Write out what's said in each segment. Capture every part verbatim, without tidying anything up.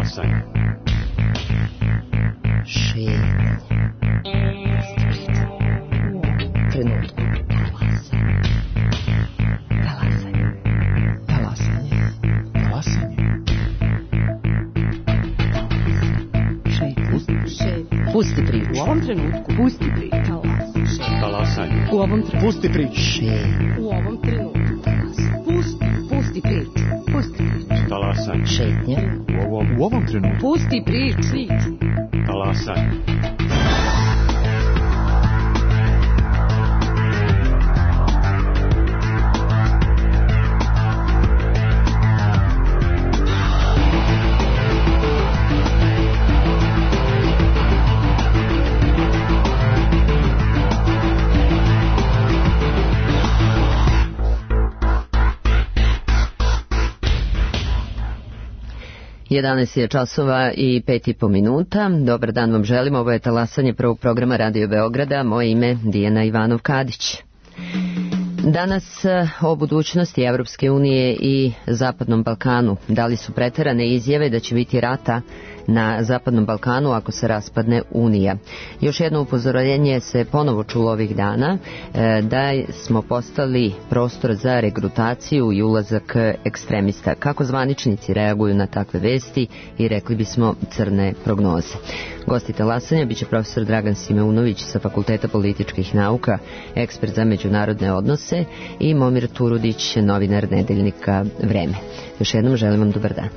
Talasanje. Šetnje. Trenutku. Talasanje. Talasanje. Talasanje. Šetnje. Pusti priču. U ovom trenutku. Pusti priču. Talasanje. U ovom trenutku. Pusti priču. Šetnje. U ovom trenutku. Pusti. Pusti priču. Pusti priču. Talasanje. Šetnje. U ovom, U ovom trenutku. Pusti priču. talasanje. jedanaest je časova i pet i po minuta. Dobar dan vam želim. Ovo je talasanje prvog programa Radio Beograda. Moje ime Dijana Ivanov-Kadić. Danas o budućnosti Evropske unije i Zapadnom Balkanu. Da li su preterane izjave da će biti rata na Zapadnom Balkanu ako se raspadne Unija? Još jedno upozorenje se ponovo čulo ovih dana da smo postali prostor za regrutaciju i ulazak ekstremista. Kako zvaničnici reaguju na takve vesti i rekli bismo crne prognoze. Gosti talasanja biće profesor Dragan Simeunović sa Fakulteta političkih nauka, ekspert za međunarodne odnose, i Momir Turudić, novinar nedeljnika Vreme. Još jednom želim vam dobar dan.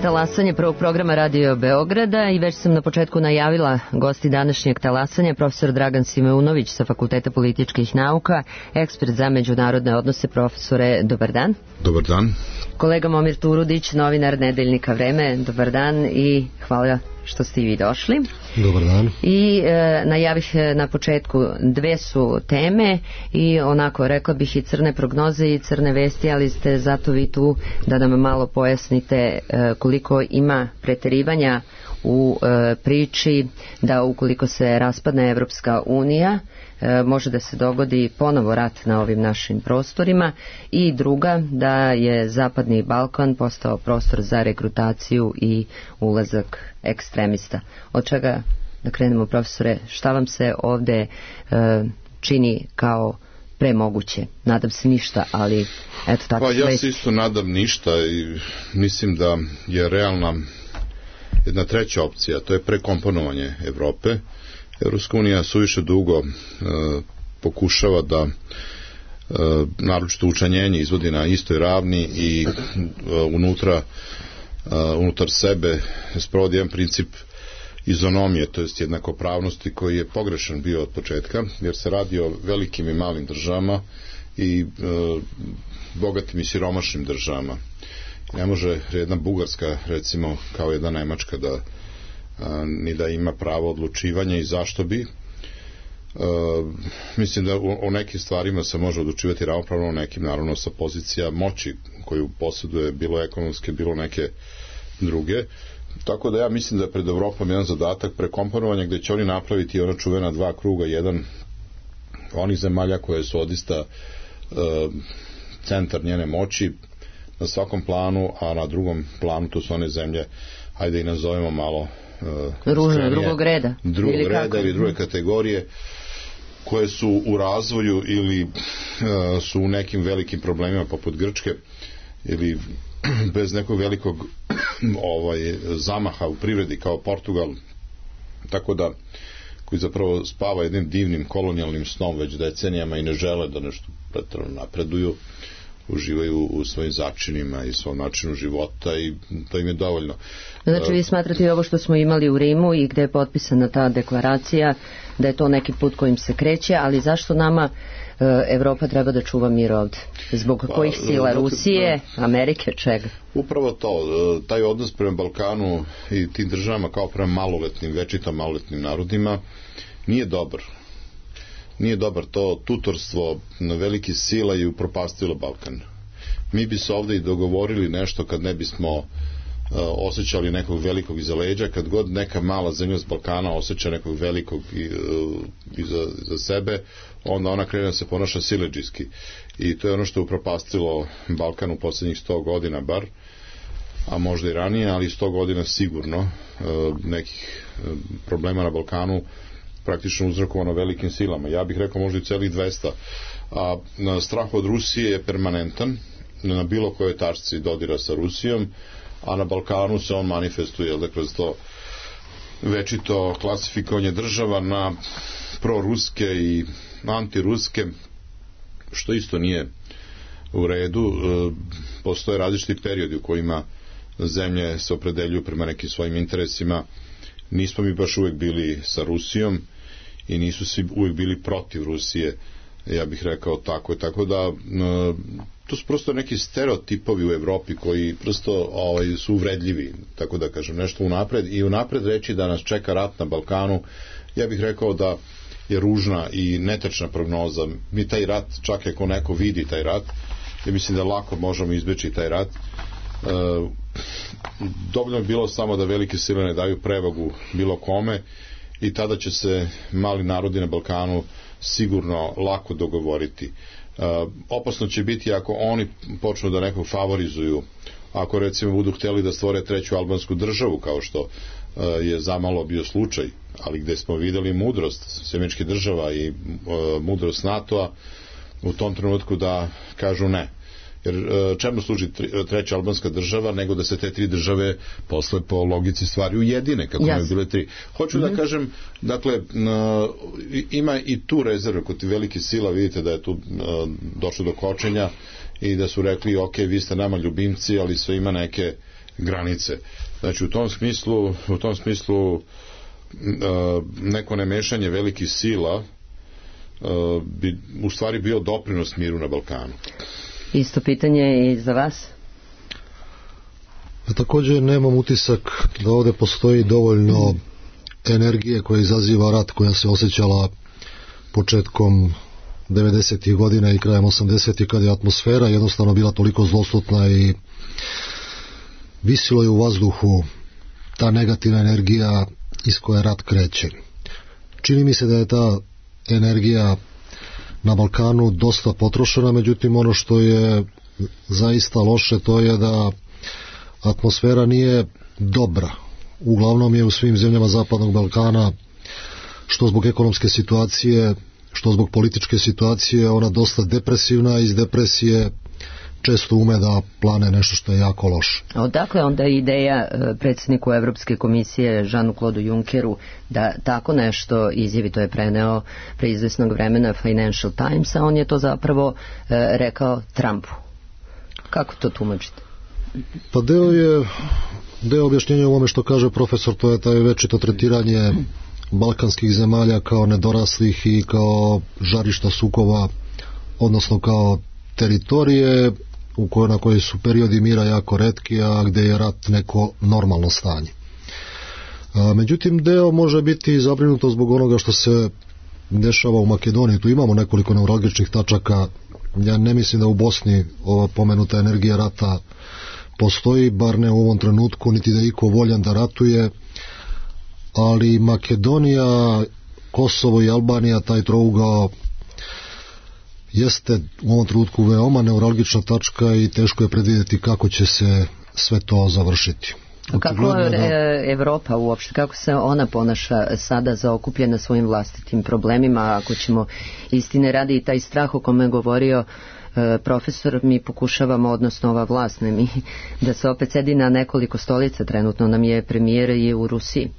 talasanje prvog programa Radio Beograda i već sam na početku najavila gosti današnjeg talasanja, profesor Dragan Simeunović sa Fakulteta političkih nauka, ekspert za međunarodne odnose. Profesore, dobar dan. Dobar dan. Kolega Momir Turudić, novinar Nedeljnika Vreme, dobar dan i hvala što ste i vi došli. Dobar dan. I e, najavih na početku dve su teme i onako rekla bih i crne prognoze i crne vesti, ali ste zato vi tu da nam malo pojasnite e, koliko ima preterivanja u e, priči da ukoliko se raspadne Evropska unija e, može da se dogodi ponovo rat na ovim našim prostorima, i druga da je Zapadni Balkan postao prostor za regrutaciju i ulazak ekstremista. Od čega da krenemo, profesore? Šta vam se ovde e, čini kao premoguće? Nadam se ništa, ali eto tako. Pa ja se isto nadam ništa i mislim da je realna jedna treća opcija, to je prekomponovanje Evrope. Evropska unija suviše dugo e, pokušava da e, naročito učlanjenje izvodi na istoj ravni i e, unutra e, unutar sebe sprovodi jedan princip izonomije, to jest jednakopravnosti, koji je pogrešan bio od početka, jer se radi o velikim i malim državama i e, bogatim i siromašnim državama. Ne može jedna Bugarska, recimo, kao jedna Nemačka da a, ni da ima pravo odlučivanja, i zašto bi. A, mislim da u, u nekim stvarima se može odlučivati ravnopravno, u nekim naravno sa pozicija moći koju posjeduje, bilo ekonomske, bilo neke druge. Tako da ja mislim da je pred Evropom jedan zadatak prekomponovanja, gde će oni napraviti ona čuvena dva kruga, jedan onih zemalja koje su odista a, centar njene moći na svakom planu, a na drugom planu to su one zemlje, hajde i nazovemo malo uh, ružne, drugog reda drugog ili reda ili druge kategorije, koje su u razvoju ili uh, su u nekim velikim problemima poput Grčke, ili bez nekog velikog ovaj, zamaha u privredi kao Portugal, tako da koji zapravo spava jednim divnim kolonijalnim snom već decenijama i ne žele da nešto pretjerano napreduju, uživaju u svojim začinima i svom načinu života, i to im je dovoljno. Znači vi smatrate i ovo što smo imali u Rimu i gde je potpisana ta deklaracija, da je to neki put kojim se kreće, ali zašto nama e, Evropa treba da čuva mir ovde? Zbog pa, kojih sila? Rusije, da, Amerike, čega? Upravo to, taj odnos prema Balkanu i tim državama kao prema maloletnim, večito maloletnim narodima nije dobar. Nije dobar, to tutorstvo na veliki sila je upropastilo Balkan. Mi bi se ovde i dogovorili nešto kad ne bismo uh, osjećali nekog velikog iza leđa, kad god neka mala zemlja s Balkana osjeća nekog velikog uh, iza, iza sebe, onda ona krene da se ponaša siledžijski. I to je ono što je upropastilo Balkan u poslednjih sto godina bar, a možda i ranije, ali sto godina sigurno uh, nekih uh, problema na Balkanu praktično uzrokovano velikim silama. Ja bih rekao možda i celih dvesta. A strah od Rusije je permanentan na bilo kojoj tačci dodira sa Rusijom, a na Balkanu se on manifestuje da kroz to večito klasifikovanje država na proruske i antiruske, što isto nije u redu. Postoje različiti periodi u kojima zemlje se opredeljuju prema nekim svojim interesima. Nismo mi baš uvek bili sa Rusijom i nisu svi uvek bili protiv Rusije, ja bih rekao tako. Tako da to su prosto neki stereotipovi u Evropi koji prosto ovaj, su uvredljivi, tako da kažem, nešto unapred, i unapred reći da nas čeka rat na Balkanu, ja bih rekao da je ružna i netačna prognoza. Mi taj rat, čak ako neko vidi taj rat, ja mislim da lako možemo izbeći taj rat. E, dovoljno je bilo samo da velike sile ne daju prevagu bilo kome, i tada će se mali narodi na Balkanu sigurno lako dogovoriti. E, opasno će biti ako oni počnu da nekog favorizuju, ako recimo budu hteli da stvore treću albansku državu, kao što e, je zamalo bio slučaj, ali gde smo videli mudrost sjemeničkih država i e, mudrost NATO-a u tom trenutku da kažu ne. Jer čemu služi treća albanska država nego da se te tri države posle po logici stvari ujedine, kako yes. ne bile tri. Hoću mm-hmm. da kažem, dakle, ima i tu rezerve kod velike sila, vidite da je tu došlo do kočenja i da su rekli, ok, vi ste nama ljubimci, ali sve ima neke granice. Znači u tom smislu, u tom smislu neko nemešanje velikih sila bi u stvari bio doprinos miru na Balkanu. Isto pitanje i za vas? A također nemam utisak da ovdje postoji dovoljno energije koja izaziva rat, koja se osjećala početkom devedesetih godina i krajem osamdesetih, kad je atmosfera jednostavno bila toliko zloslutna i visilo je u vazduhu ta negativna energija iz koje rat kreće. Čini mi se da je ta energija na Balkanu dosta potrošena, međutim ono što je zaista loše to je da atmosfera nije dobra. Uglavnom je u svim zemljama Zapadnog Balkana, što zbog ekonomske situacije, što zbog političke situacije, ona dosta depresivna, iz depresije često ume da plane nešto što je jako loše. A odakle onda ideja predsjedniku Evropske komisije Jeanu-Claude Junckeru da tako nešto izjavi? To je preneo pre izvesnog vremena Financial Times, a on je to zapravo e, rekao Trumpu. Kako to tumačite? Pa deo je deo objašnjenja u ovome što kaže profesor, to je taj večito tretiranje balkanskih zemalja kao nedoraslih i kao žarišta sukoba, odnosno kao teritorije u kojoj, na kojoj su periodi mira jako retki, a gdje je rat neko normalno stanje. A, međutim, deo može biti zabrinuto zbog onoga što se dešava u Makedoniji. Tu imamo nekoliko neuralgičnih tačaka. Ja ne mislim da u Bosni ova pomenuta energija rata postoji, bar ne u ovom trenutku, niti da je iko voljan da ratuje, ali Makedonija, Kosovo i Albanija, taj trougao jeste u ovom trenutku veoma neuralgična tačka i teško je predvidjeti kako će se sve to završiti. Kako je Evropa uopšte, kako se ona ponaša sada zaokupljena svojim vlastitim problemima? Ako ćemo istine radi i taj strah o kome je govorio e, profesor, mi pokušavamo, odnosno ova vlast, ne mi, da se opet sedi na nekoliko stolica. Trenutno nam je premijer i u Rusiji.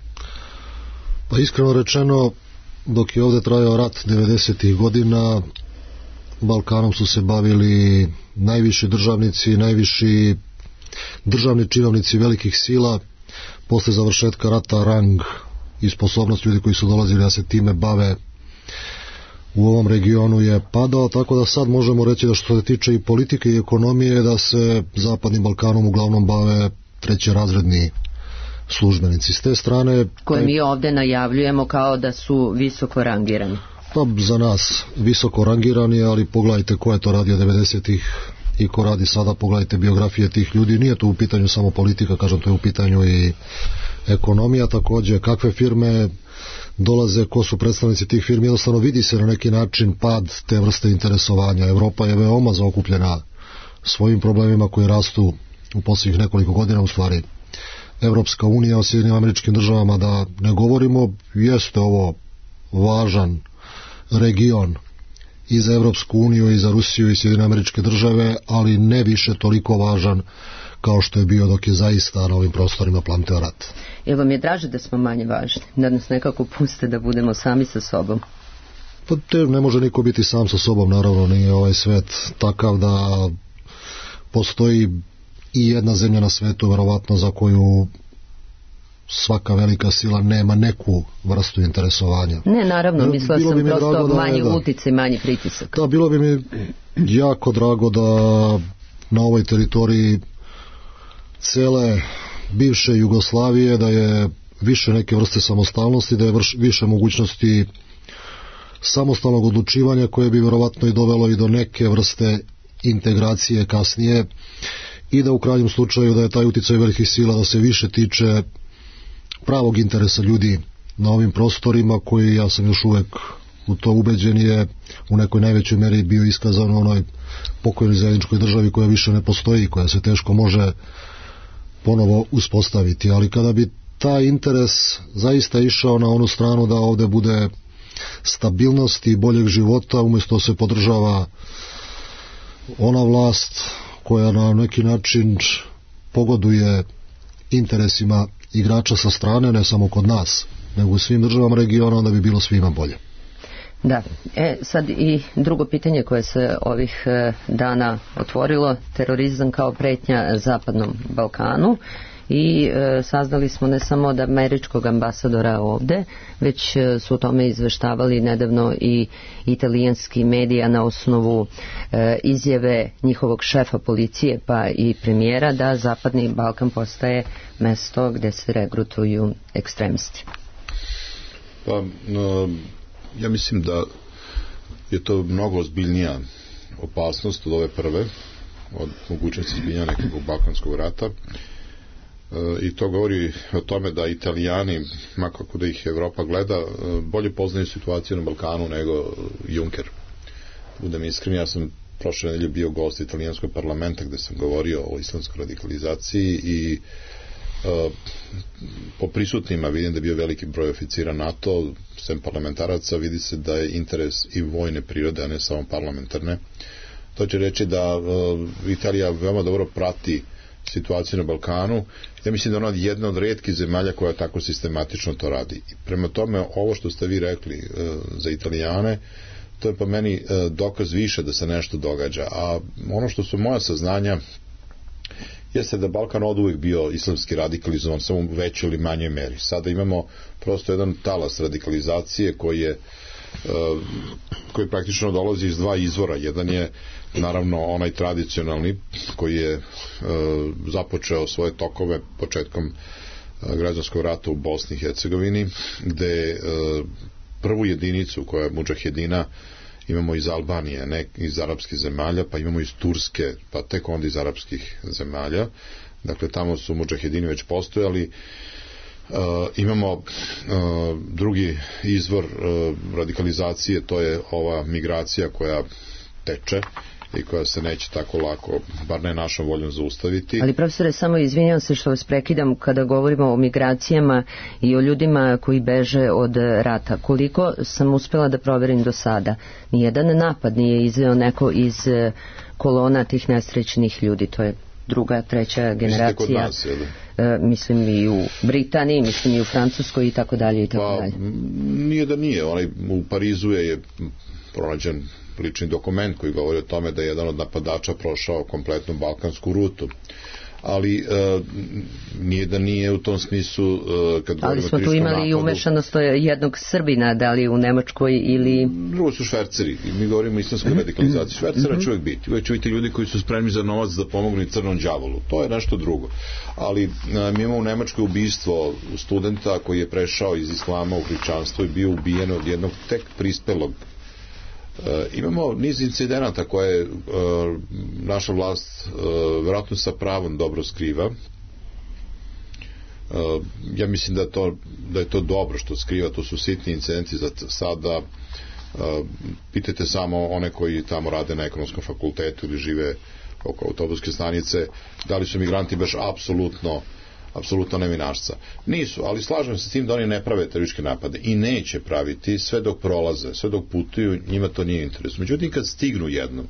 Pa iskreno rečeno, dok je ovdje trajao rat devedesetih godina, Balkanom su se bavili najviši državnici, najviši državni činovnici velikih sila. Posle završetka rata rang i sposobnost ljudi koji su dolazili da se time bave u ovom regionu je padao, tako da sad možemo reći da što se tiče i politike i ekonomije, da se Zapadnim Balkanom uglavnom bave trećerazredni službenici. S te strane, koje mi ovdje najavljujemo kao da su visoko rangirani. Pa za nas visoko rangirani, ali pogledajte ko je to radio devedesetih i ko radi sada, pogledajte biografije tih ljudi. Nije to u pitanju samo politika, kažem, to je u pitanju i ekonomija. Također kakve firme dolaze, ko su predstavnici tih firmi, jednostavno vidi se na neki način pad te vrste interesovanja. Evropa je veoma zaokupljena svojim problemima koji rastu u posljednjih nekoliko godina. U stvari Evropska unija o Sjedinjenim Američkim Državama da ne govorimo, jeste ovo važan region i za Evropsku uniju i za Rusiju i Sjedinjene Američke Države, ali ne više toliko važan kao što je bio dok je zaista na ovim prostorima plamteo rat. Jel vam je draže da smo manje važni? Da nas nekako puste da budemo sami sa sobom? Pa te ne može niko biti sam sa sobom, naravno nije ovaj svet takav da postoji i jedna zemlja na svetu verovatno za koju svaka velika sila nema neku vrstu interesovanja. Ne, naravno, mislila sam bi prosto da, manji da, uticaj, manji pritisak. Da, bilo bi mi jako drago da na ovoj teritoriji cele bivše Jugoslavije da je više neke vrste samostalnosti, da je vrš, više mogućnosti samostalnog odlučivanja koje bi verovatno i dovelo i do neke vrste integracije kasnije i da u krajnjem slučaju da je taj uticaj velikih sila da se više tiče pravog interesa ljudi na ovim prostorima koji, ja sam još uvek u to ubeđen, je u nekoj najvećoj meri bio iskazan u onoj pokojnoj zajedničkoj državi koja više ne postoji, koja se teško može ponovo uspostaviti. Ali kada bi taj interes zaista išao na onu stranu da ovdje bude stabilnosti i boljeg života, umjesto se podržava ona vlast koja na neki način pogoduje interesima igrača sa strane, ne samo kod nas, nego u svim državama regiona, onda bi bilo svima bolje. Da, e, sad i drugo pitanje koje se ovih e, dana otvorilo, terorizam kao pretnja Zapadnom Balkanu i e, saznali smo ne samo od američkog ambasadora ovde, već e, su o tome izveštavali nedavno i italijanski medija na osnovu e, izjave njihovog šefa policije pa i premijera da Zapadni Balkan postaje mesto gde se regrutuju ekstremisti. Pa, no, ja mislim da je to mnogo ozbiljnija opasnost od ove prve, od mogućnosti izbijanja nekog balkanskog rata, e, i to govori o tome da Italijani, makako da ih Evropa gleda, e, bolje poznaju situaciju na Balkanu nego Juncker. Budem iskren, ja sam prošle nedelje bio gost italijanskog parlamenta gde sam govorio o islamskoj radikalizaciji i e, po prisutnima vidim da je bio veliki broj oficira NATO, sem parlamentaraca, vidi se da je interes i vojne prirode, a ne samo parlamentarne. To će reći da uh, Italija veoma dobro prati situaciju na Balkanu. Ja mislim da ona je jedna od retkih zemalja koja tako sistematično to radi. I prema tome, ovo što ste vi rekli uh, za Italijane, to je po meni uh, dokaz više da se nešto događa. A ono što su moja saznanja jeste da Balkan od uvijek bio islamski radikalizovan, samo u većoj ili manjoj meri. Sada imamo prosto jedan talas radikalizacije koji je koji praktično dolazi iz dva izvora. Jedan je naravno onaj tradicionalni koji je započeo svoje tokove početkom građanskog rata u Bosni i Hercegovini, gde prvu jedinicu koja je mudžahedina imamo iz Albanije, ne iz arapskih zemalja, pa imamo iz Turske, pa tek onda iz arapskih zemalja. Dakle, tamo su mudžahedini već postojali. Uh, imamo uh, drugi izvor uh, radikalizacije, to je ova migracija koja teče i koja se neće tako lako, bar ne našom voljom, zaustaviti. Ali profesore, samo izvinjam se što vas prekidam kada govorimo o migracijama i o ljudima koji beže od rata. Koliko sam uspela da proverim do sada, nijedan napad nije izveo neko iz kolona tih nesrećnih ljudi, to je druga, treća generacija. Kod nas, je li? E, mislim i u Britaniji, mislim i u Francuskoj i tako dalje i tako dalje. Pa, nije da nije. Onaj, u Parizu je, je pronađen lični dokument koji govori o tome da je jedan od napadača prošao kompletnu balkansku rutu. Ali e, nije da nije u tom smislu e, kad ali smo tu imali napadu, i umešanost jednog Srbina, da li u Nemačkoj ili... Drugo su šverceri. Mi govorimo o islamskoj radikalizaciji. Švercera će uvijek biti. Uvijek će biti ljudi koji su spremni za novac da pomognu i crnom đavolu. To je nešto drugo. Ali a, mi imamo u Nemačkoj ubistvo studenta koji je prešao iz islama u hrišćanstvo i bio ubijen od jednog tek prispelog. E, imamo niz incidenata koje e, naša vlast e, vjerojatno sa pravom dobro skriva. E, ja mislim da, to, da je to dobro što skriva, to su sitni incidenti za sada. E, pitajte samo one koji tamo rade na ekonomskom fakultetu ili žive oko autobuske stanice, da li su migranti baš apsolutno apsolutno nevinašca. Nisu, ali slažem se s tim da oni ne prave terorističke napade i neće praviti sve dok prolaze, sve dok putuju, njima to nije interes. Međutim, kad stignu jednom,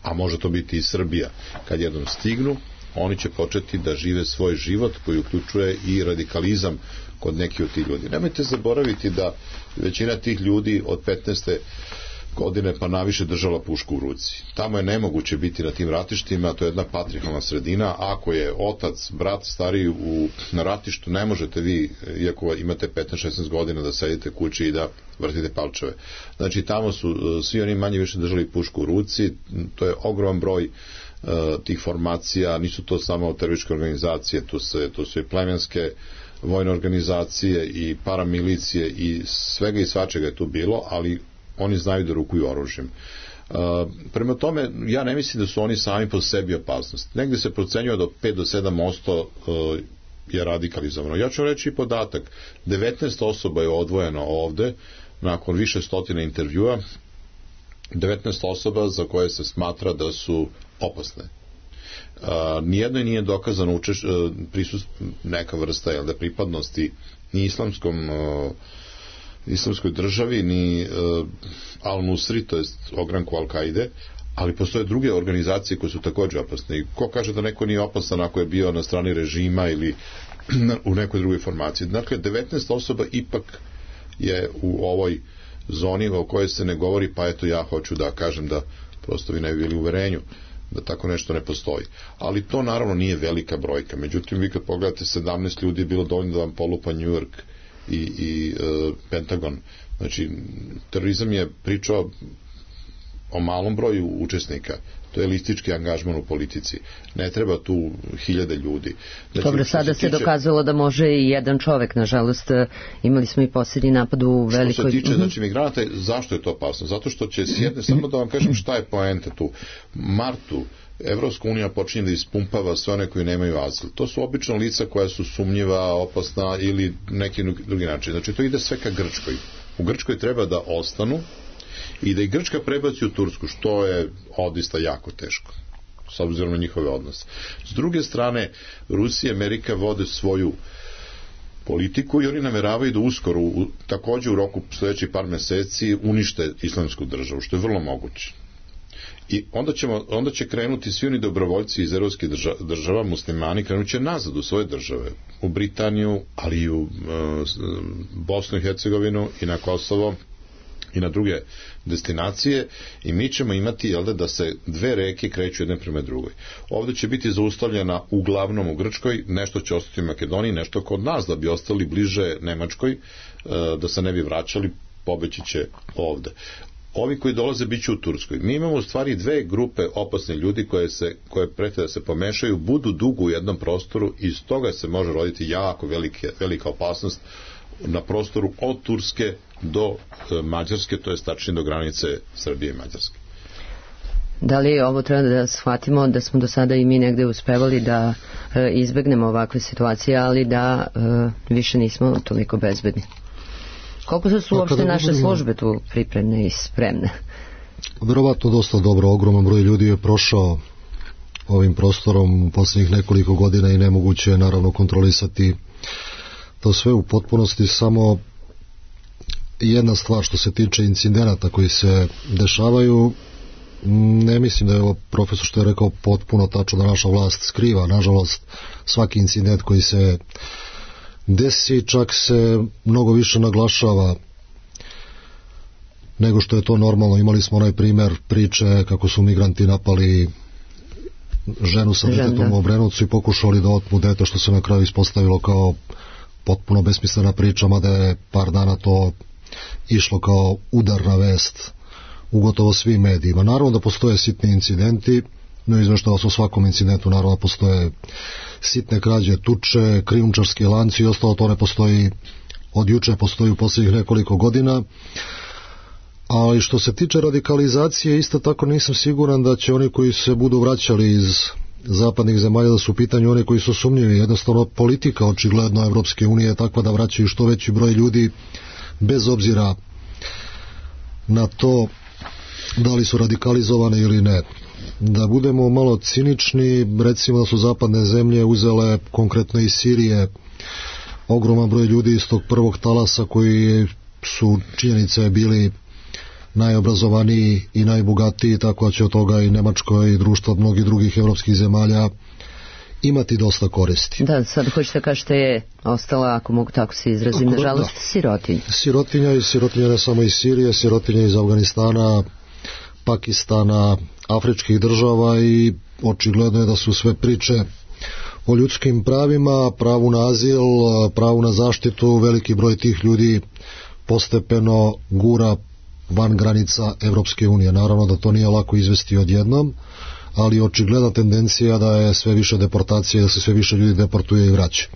a može to biti i Srbija, kad jednom stignu, oni će početi da žive svoj život koji uključuje i radikalizam kod nekih od tih ljudi. Nemojte zaboraviti da većina tih ljudi od petnaeste godine pa naviše držala pušku u ruci. Tamo je nemoguće biti na tim ratištima, to je jedna patrihalna sredina. Ako je otac, brat stariji u, na ratištu, ne možete vi, iako imate petnaest šesnaest godina, da sedite kući i da vrtite palčeve. Znači, tamo su svi oni manje više držali pušku u ruci, to je ogroman broj uh, tih formacija, nisu to samo terorističke organizacije, to, se, to su i plemenske vojne organizacije i paramilicije i svega i svačega je tu bilo, ali oni znaju da rukuju oružjem. Uh, prema tome, ja ne mislim da su oni sami po sebi opasnost. Negde se procenjuje da od pet do sedam posto uh, je radikalizovano. Ja ću reći i podatak. devetnaest osoba je odvojeno ovde, nakon više stotina intervjua, devetnaest osoba za koje se smatra da su opasne. Uh, nijedno nije dokazano učeš, uh, prisust, neka vrsta jel, da pripadnosti ni islamskom uh, islamskoj državi, ni uh, Al-Nusri, to je ogranku Al-Kaide, ali postoje druge organizacije koje su također opasne. I ko kaže da neko nije opasan ako je bio na strani režima ili u nekoj drugoj formaciji. Dakle, devetnaest osoba ipak je u ovoj zoni o kojoj se ne govori, pa eto ja hoću da kažem da prosto vi ne bi bili u uverenju. da tako nešto ne postoji. Ali to naravno nije velika brojka. Međutim, vi kad pogledate, sedamnaest ljudi je bilo dovoljno da vam polupa New York i, i uh, Pentagon. Znači, terorizam je pričao o malom broju učesnika. To je listički angažman u politici. Ne treba tu hiljade ljudi. Znači, dobro, sada se, se tiče... dokazalo da može i jedan čovek, nažalost. Imali smo i posljednji napad u velikoj... Što se tiče, znači, migranata, zašto je to opasno? Zato što će sjedne, samo da vam kažem šta je poenta tu. Martu Evropska unija počinje da ispumpava sve one koji nemaju azil. To su obično lica koja su sumnjiva, opasna ili neki drugi način. Znači, to ide sve ka Grčkoj. U Grčkoj treba da ostanu i da i Grčka prebaci u Tursku, što je odista jako teško, s obzirom na njihove odnose. S druge strane, Rusija i Amerika vode svoju politiku i oni nameravaju da uskoro, u, takođe u roku sledećih par meseci, unište islamsku državu, što je vrlo moguće. I onda, ćemo, onda će krenuti svi oni dobrovoljci iz evropskih država, država, muslimani, krenut će nazad u svoje države, u Britaniju, ali i u uh, Bosnu i Hercegovinu i na Kosovo i na druge destinacije, i mi ćemo imati, jel da, da se dve reke kreću jedne prema drugoj. Ovde će biti zaustavljena uglavnom u Grčkoj, nešto će ostati u Makedoniji, nešto kod nas da bi ostali bliže Nemačkoj, da se ne bi vraćali, pobeći će ovde. Ovi koji dolaze bit će u Turskoj. Mi imamo u stvari dve grupe opasne ljudi koje, se, koje prete da se pomešaju, budu dugo u jednom prostoru i iz toga se može roditi jako velike, velika opasnost na prostoru od Turske do e, Mađarske, to je tačnije do granice Srbije i Mađarske. Da li ovo treba da shvatimo da smo do sada i mi negde uspevali da e, izbegnemo ovakve situacije, ali da e, više nismo toliko bezbedni? Koliko su uopšte naše budemo... službe tu pripremne i spremne? Verovatno dosta dobro, ogroman broj ljudi je prošao ovim prostorom u poslednjih nekoliko godina i nemoguće je naravno kontrolisati to sve u potpunosti. Samo jedna stvar što se tiče incidenata koji se dešavaju, ne mislim da je ovo profesor što je rekao potpuno tačno, da naša vlast skriva. Nažalost, svaki incident koji se desi čak se mnogo više naglašava nego što je to normalno. Imali smo onaj primer priče kako su migranti napali ženu sa detetom u Obrenovcu i pokušali da otmu dete, što se na kraju ispostavilo kao potpuno besmislena priča, mada je par dana to išlo kao udarna vest u gotovo svim medijima. Naravno da postoje sitni incidenti, no izveštava se o svakom incidentu, naravno da postoje sitne krađe, tuče, krijumčarski lanci i ostalo, to ne postoji od juče, postoji u posljednjih nekoliko godina. Ali što se tiče radikalizacije, isto tako nisam siguran da će oni koji se budu vraćali iz zapadnih zemalja da su u pitanju oni koji su sumnjivi. Jednostavno politika očigledno Evropske unije je takva da vraćaju što veći broj ljudi bez obzira na to da li su radikalizovane ili ne. Da budemo malo cinični, recimo da su zapadne zemlje uzele konkretno iz Sirije ogroman broj ljudi iz tog prvog talasa koji su, činjenice, bili najobrazovaniji i najbogatiji, tako da će od toga i Nemačko i društvo mnogih drugih evropskih zemalja imati dosta koristi. Da, sad hoćete kažete je ostala, ako mogu tako se izrazim, ako, nažalost, da. sirotinja. Sirotinja i sirotinja ne samo iz Sirije, sirotinja iz Afganistana, Pakistana, afričkih država, i očigledno je da su sve priče o ljudskim pravima, pravu na azil, pravu na zaštitu, veliki broj tih ljudi postepeno gura van granica Evropske unije. Naravno da to nije lako izvesti odjednom, ali očigledna tendencija da je sve više deportacije, da se sve više ljudi deportuje i vraća.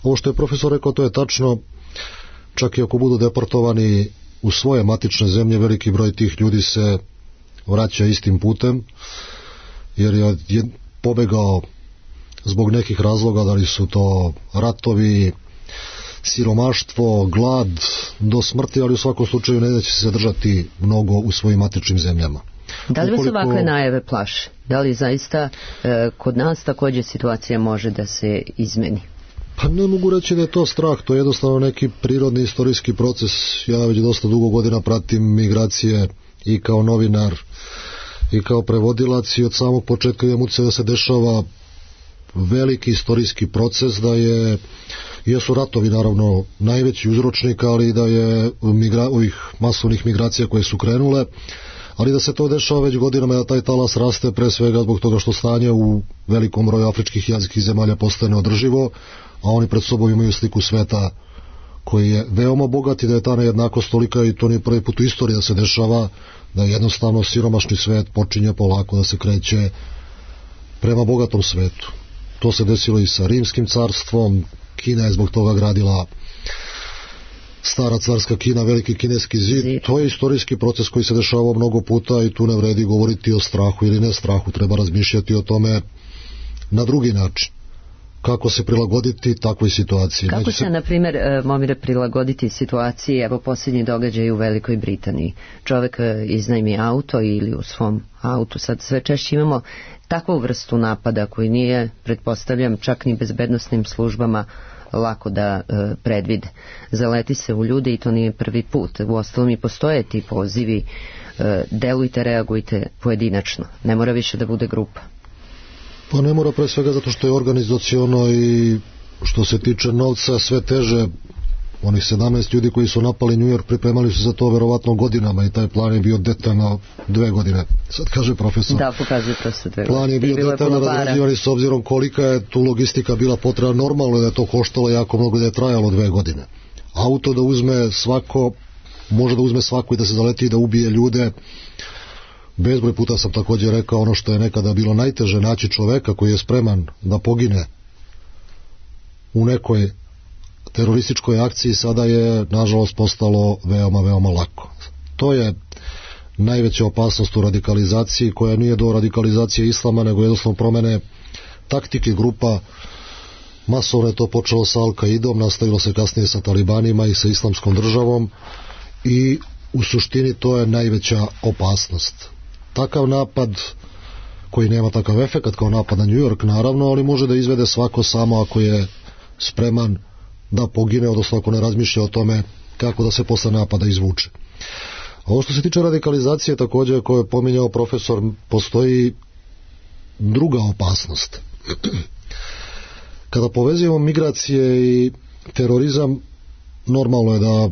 Ovo što je profesor rekao, to je tačno. Čak i ako budu deportovani u svoje matične zemlje, veliki broj tih ljudi se vraća istim putem, jer je pobegao zbog nekih razloga, da li su to ratovi, siromaštvo, glad, do smrti, ali u svakom slučaju ne da će se držati mnogo u svojim matičnim zemljama. Da li vas Ukoliko... ovakve najave plaše? Da li zaista e, kod nas također situacija može da se izmeni? Pa ne mogu reći da je to strah, to je jednostavno neki prirodni istorijski proces. Ja već dosta dugo godina pratim migracije i kao novinar i kao prevodilac, i od samog početka imam utisak da se dešava veliki istorijski proces, da je jesu ratovi naravno najveći uzročnik, ali da je migra, ovih masovnih migracija koje su krenule, ali da se to dešava već godinama, da taj talas raste pre svega zbog toga što stanje u velikom broju afričkih i azijskih zemalja postane održivo, a oni pred sobom imaju sliku sveta koji je veoma bogat i da je ta nejednakost tolika, i to nije prvi put u istoriji da se dešava, da jednostavno siromašni svet počinje polako da se kreće prema bogatom svetu. To se desilo i sa Rimskim carstvom. Kina je zbog toga gradila, stara carska Kina, veliki kineski zid. To je istorijski proces koji se dešavao mnogo puta i tu ne vredi govoriti o strahu ili ne strahu, treba razmišljati o tome na drugi način. Kako se prilagoditi takvoj situaciji. Kako se, na primjer, Momire, prilagoditi situaciji, evo posljednji događaj u Velikoj Britaniji. Čovjek iznajmi auto ili u svom autu, sad sve češće imamo takvu vrstu napada koji nije, pretpostavljam, čak ni bezbednosnim službama lako da e, predvide. Zaleti se u ljude i to nije prvi put. Uostalom i postoje ti pozivi, e, delujte, reagujte pojedinačno. Ne mora više da bude grupa. Pa ne mora, pre svega zato što je organizaciono i što se tiče novca sve teže. Onih sedamnaest ljudi koji su napali New York pripremali su za to verovatno godinama i taj plan je bio detaljno dve godine. Sad kaže profesor. Da, pokazuje to se dve godine. Plan je bio detaljno razrađivan s obzirom kolika je tu logistika bila potrebna. Normalno je da je to koštalo jako mnogo i da je trajalo dve godine. Auto da uzme svako, može da uzme svako i da se zaleti i da ubije ljude. Bezbroj puta sam također rekao ono što je nekada bilo najteže, naći čoveka koji je spreman da pogine u nekoj terorističkoj akciji, sada je nažalost postalo veoma, veoma lako. To je najveća opasnost u radikalizaciji, koja nije do radikalizacije islama, nego jednostavno promene taktike grupa. Masovno je to počelo sa Al-Kaidom, nastavilo se kasnije sa talibanima i sa islamskom državom i u suštini to je najveća opasnost. Takav napad koji nema takav efekat kao napad na New York, naravno, ali može da izvede svako samo ako je spreman da pogine, odnosno ako ne razmišlja o tome kako da se posle napada izvuče. A ovo što se tiče radikalizacije, također koje je pominjao profesor, postoji druga opasnost. Kada povezujemo migracije i terorizam, normalno je da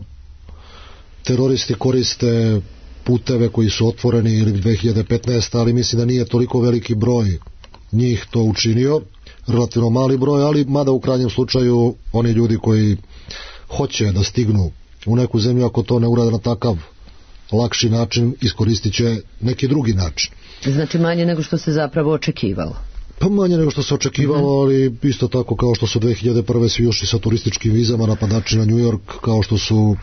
teroristi koriste puteve koji su otvoreni ili dve hiljade petnaeste. ali mislim da nije toliko veliki broj njih to učinio, relativno mali broj, ali mada u krajnjem slučaju oni ljudi koji hoće da stignu u neku zemlju, ako to ne urade na takav lakši način, iskoristit će neki drugi način. Znači manje nego što se zapravo očekivalo. Pa manje nego što se očekivalo, ali isto tako kao što su dve hiljade prve svi ušli sa turističkim vizama, napadači na New York, kao što su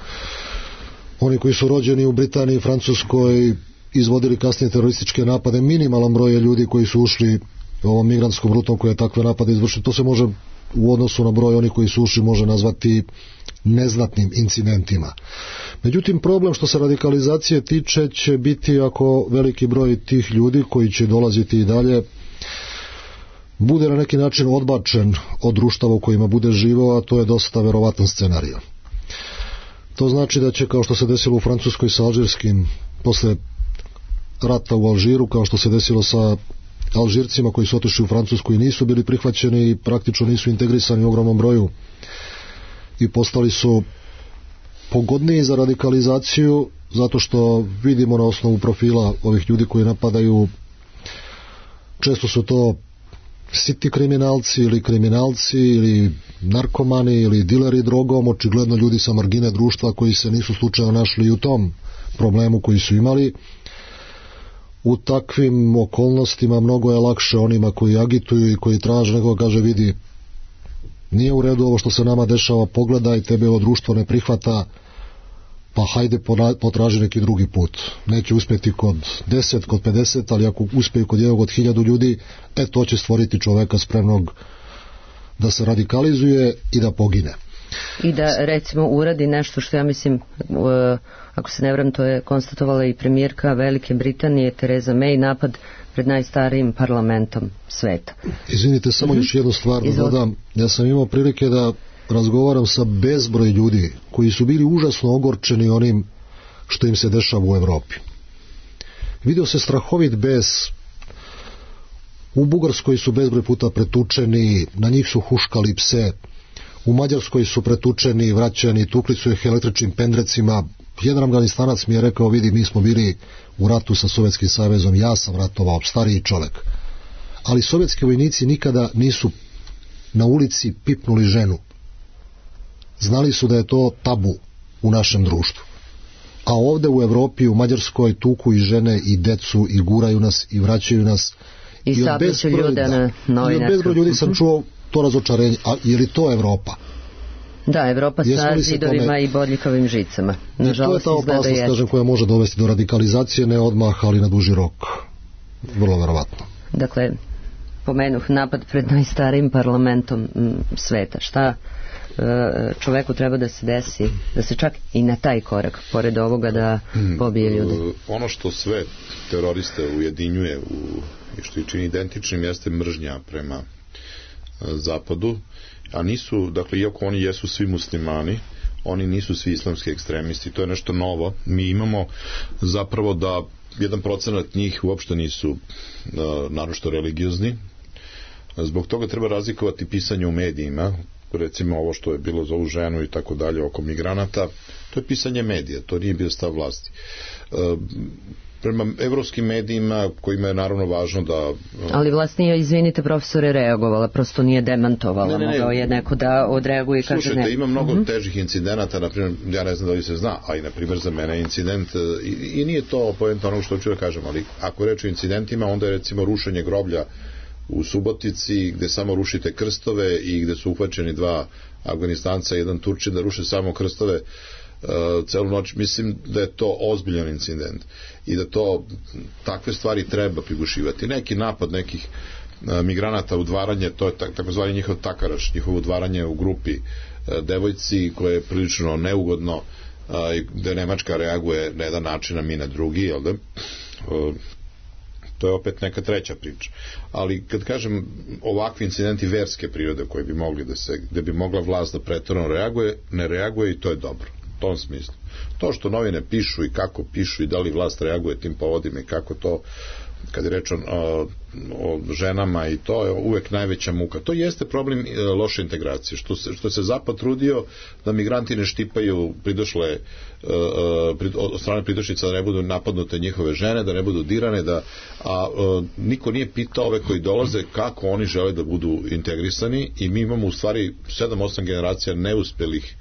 oni koji su rođeni u Britaniji i Francuskoj izvodili kasnije terorističke napade. Minimalan broj je ljudi koji su ušli ovom migrantskom rutom koja je takve napade izvršila. To se može u odnosu na broj onih koji su ušli može nazvati neznatnim incidentima. Međutim, problem što se radikalizacije tiče će biti ako veliki broj tih ljudi koji će dolaziti i dalje bude na neki način odbačen od društava u kojima bude živao, a to je dosta verovatan scenarij. To znači da će, kao što se desilo u Francuskoj sa alžirskim, posle rata u Alžiru, kao što se desilo sa Alžircima koji su otišli u Francusku i nisu bili prihvaćeni i praktično nisu integrisani u ogromnom broju i postali su pogodniji za radikalizaciju, zato što vidimo na osnovu profila ovih ljudi koji napadaju, često su to siti kriminalci ili kriminalci ili narkomani ili dileri drogom, očigledno ljudi sa margine društva koji se nisu slučajno našli u tom problemu koji su imali. U takvim okolnostima mnogo je lakše onima koji agituju i koji traže, nekoga kaže vidi, nije u redu ovo što se nama dešava, pogledaj, tebe ovo društvo ne prihvata, pa hajde potraži neki drugi put. Neće uspjeti kod deset, kod pedeset, ali ako uspiju kod jednog od hiljadu ljudi, e to će stvoriti čoveka spremnog da se radikalizuje i da pogine. I da recimo uradi nešto što ja mislim, ako se ne varam, to je konstatovala i premijerka Velike Britanije Tereza May, napad pred najstarijim parlamentom sveta. Izvinite, samo mm-hmm. još jednu stvar da dodam. Ja sam imao prilike da razgovaram sa bezbroj ljudi koji su bili užasno ogorčeni onim što im se dešava u Evropi. Vidio se strahovit bes. U Bugarskoj su bezbroj puta pretučeni, na njih su huškali pse. U Mađarskoj su pretučeni, vraćani, tukli su ih električnim pendrecima, jedan Afganistanac mi je rekao, vidi, mi smo bili u ratu sa Sovjetskim savezom, ja sam ratovao, stariji čovjek, ali sovjetski vojnici nikada nisu na ulici pipnuli ženu. Znali su da je to tabu u našem društvu. A ovde u Evropi, u Mađarskoj, tuku i žene i decu i guraju nas i vraćaju nas. I, I od bezbroj ljude na novinarskom. I od bezbroj ljudi sam čuo to razočarenje. A je li to Evropa? Da, Evropa sa zidovima tome... i bodljikovim žicama. Nažalost, I to je ta opasnost, kažem, koja može dovesti do radikalizacije, ne odmah, ali na duži rok. Vrlo verovatno. Dakle, pomenuh napad pred najstarijim parlamentom m, sveta. Šta čoveku treba da se desi, da se čak i na taj korak, pored ovoga, da pobije ljude? Ono što sve teroriste ujedinjuje u, i što ih čini identičnim jeste mržnja prema zapadu, a nisu, dakle, iako oni jesu svi muslimani, oni nisu svi islamski ekstremisti, to je nešto novo. Mi imamo zapravo da jedan procenat njih uopšte nisu naročito religiozni. Zbog toga treba razlikovati pisanje u medijima, recimo ovo što je bilo za ovu ženu i tako dalje oko migranata, to je pisanje medija, to nije bio stav vlasti. E, prema evropskim medijima, kojima je naravno važno da... Ali vlast nije, izvinite profesore, reagovala, prosto nije demantovala, ne, ne, ne. Mogao je neko da odreaguje i kaže ne. Slušajte, ima mnogo uh-huh. težih incidenata, na primjer, ja ne znam da li se zna, a i na primjer za mene incident, i, i nije to poenta onog što ću da kažem, ali ako reći o incidentima, onda je recimo rušenje groblja u Subotici, gde samo rušite krstove i gde su uhvaćeni dva Afganistanca i jedan Turčin da ruše samo krstove uh, celu noć. Mislim da je to ozbiljan incident i da to takve stvari treba prigušivati. Neki napad nekih uh, migranata, udvaranje, to je tak, takozvani njihov takaraš, njihovo udvaranje u grupi uh, devojci, koje je prilično neugodno, uh, gde Nemačka reaguje na jedan način, a mi na drugi, jel da? Uh, to je opet neka treća priča. Ali kad kažem ovakvi incidenti verske prirode koji bi mogli da se, gde bi mogla vlast da pretjerano reaguje, ne reaguje i to je dobro. U tom smislu. To što novine pišu i kako pišu i da li vlast reaguje tim povodima i kako to, kad je reč o, o ženama, i to je uvek najveća muka. To jeste problem e, loše integracije, što se, što se Zapad trudio da migranti ne štipaju pridošle e, prid, od strane pridošlica, da ne budu napadnute njihove žene, da ne budu dirane, da, a e, niko nije pitao ove koji dolaze kako oni žele da budu integrisani, i mi imamo u stvari sedam osam generacija neuspelih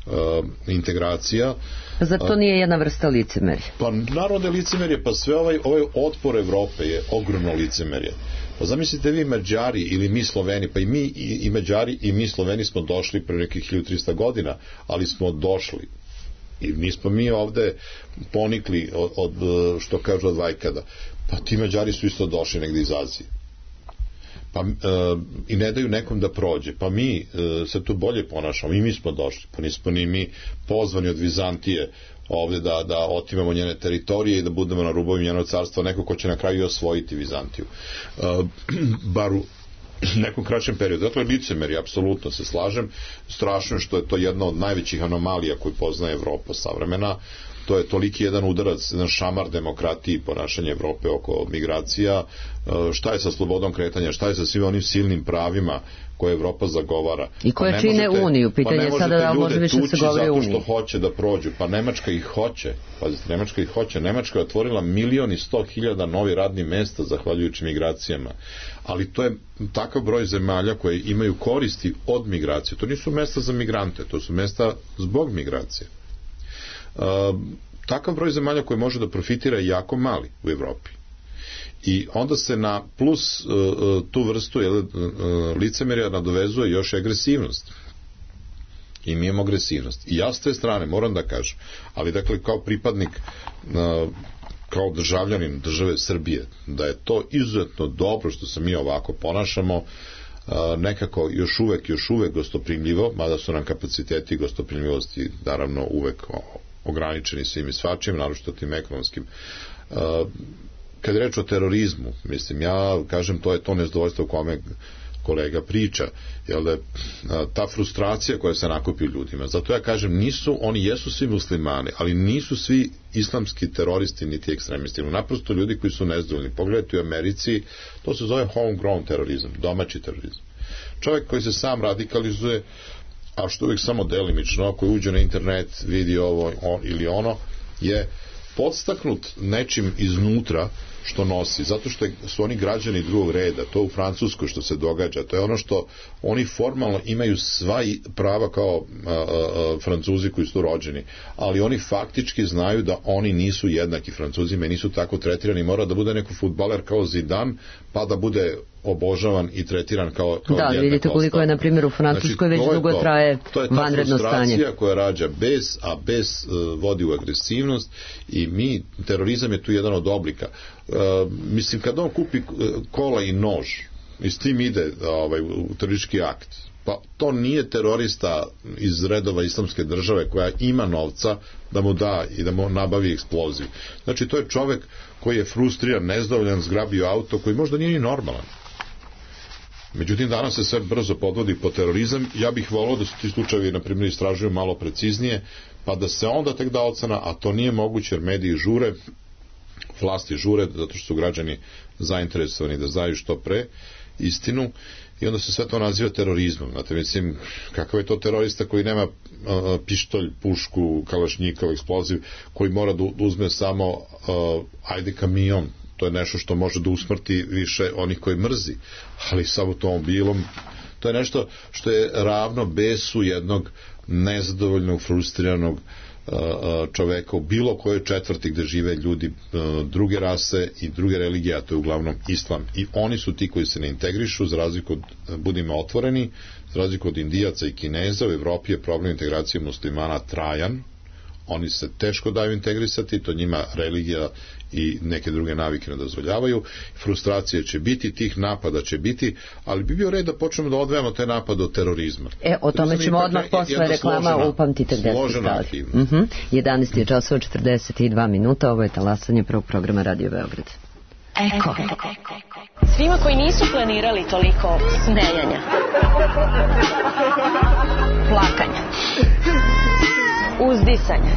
Uh, integracija. Zato to nije jedna vrsta licemerja? Pa naravno da je licemerje, pa sve ovaj, ovaj otpor Evrope je ogromno licemerje. Pa zamislite vi Mađari ili mi Sloveni, pa i mi i, i Mađari i mi Sloveni smo došli pre nekih hiljadu trista godina, ali smo došli. I nismo mi ovde ponikli od, od što kažu od vajkada. Pa ti Mađari su isto došli negde iz Azije. Pa e, i ne daju nekom da prođe, pa mi e, se tu bolje ponašamo, i mi smo došli, pa nismo ni mi pozvani od Vizantije ovde da, da otimamo njene teritorije i da budemo na rubovi njenog carstva, neko ko će na kraju osvojiti Vizantiju, e, bar u nekom kraćem periodu. Dakle, licemerje, apsolutno se slažem, strašno što je to jedna od najvećih anomalija koju poznaje Evropa savremena. To je toliki jedan udarac, jedan šamar demokratiji, ponašanje Evrope oko migracija. Šta je sa slobodom kretanja, šta je sa svim onim silnim pravima koje Evropa zagovara? I koje pa čine možete, Uniju, pitanje pa sada da može više se govori o Uniji. Zato što hoće da prođu, pa Nemačka ih hoće, pazite, Nemačka ih hoće, Nemačka je otvorila milion i sto hiljada novi radnih mesta zahvaljujući migracijama, ali to je takav broj zemalja koje imaju koristi od migracije, to nisu mesta za migrante, to su mesta zbog migracije. Uh, takav broj zemalja koji može da profitira je jako mali u Evropi. I onda se na plus uh, tu vrstu jel, uh, licemerja nadovezuje još agresivnost. I mi imamo agresivnost. I ja s te strane moram da kažem, ali dakle kao pripadnik, uh, kao državljanin države Srbije, da je to izuzetno dobro što se mi ovako ponašamo, uh, nekako još uvek, još uvek gostoprimljivo, mada su nam kapaciteti gostoprimljivosti naravno uvek ograničeni svim i svačim, naročito tim ekonomskim. Uh, kad je reč o terorizmu, mislim, ja kažem, to je to nezadovoljstvo o kome kolega priča, jel da ta frustracija koja se nakupi u ljudima. Zato ja kažem, nisu, oni jesu svi muslimani, ali nisu svi islamski teroristi niti ekstremisti. Naprosto ljudi koji su nezadovoljni. Pogledajte u Americi, to se zove homegrown terorizam, domaći terorizam. Čovjek koji se sam radikalizuje, a što uvijek samo delimično, ako uđe na internet, vidi ovo on, ili ono, je podstaknut nečim iznutra što nosi, zato što su oni građani drugog reda, to u Francuskoj što se događa, to je ono što oni formalno imaju sva prava kao a, a, a, Francuzi koji su rođeni, ali oni faktički znaju da oni nisu jednaki Francuzima i nisu tako tretirani, mora da bude neko fudbaler kao Zidane, pa da bude obožavan i tretiran kao, kao da, vidite koliko je na primjer u Francuskoj znači, već dugo to, traje vanredno stanje. To je ta frustracija koja rađa bez, a bez uh, vodi u agresivnost i mi, terorizam je tu jedan od oblika. Uh, mislim, kad on kupi kola i nož i s tim ide ovaj, u teroristički akt, pa to nije terorista iz redova islamske države koja ima novca da mu da i da mu nabavi eksploziju. Znači, to je čovek koji je frustriran, nezadovoljan, zgrabio auto, koji možda nije ni normalan. Međutim, danas se sve brzo podvodi po terorizam. Ja bih volao da su ti slučajevi, na primjer, istražuju malo preciznije, pa da se onda tek da ocena, a to nije moguće jer mediji žure, vlasti žure, zato što su građani zainteresovani da znaju što pre istinu i onda se sve to naziva terorizmom. Znate, mislim, kakav je to terorista koji nema a, pištolj, pušku, kalašnjikov, eksploziv, koji mora da uzme samo a, ajde kamion, to je nešto što može da usmrti više onih koji mrzi, ali sa automobilom to je nešto što je ravno besu jednog nezadovoljnog, frustriranog čoveka u bilo kojoj četvrti gde žive ljudi druge rase i druge religije, a to je uglavnom islam. I oni su ti koji se ne integrišu, za razliku od, budimo otvoreni, za razliku od Indijaca i Kineza, u Evropi je problem integracije muslimana trajan, oni se teško daju integrisati, to njima religija i neke druge navike ne dozvoljavaju, frustracije će biti, tih napada će biti, ali bi bio red da počnemo da odvajamo te napade od terorizma. E, o tome ćemo odmah posle reklama, upamtite gde ste stali. Uh-huh. jedanaest je časova četrdeset dva minuta, ovo je talasanje prvog programa Radio Beograd. Eko. Svima koji nisu planirali toliko smejanja, plakanja, uzdisanja,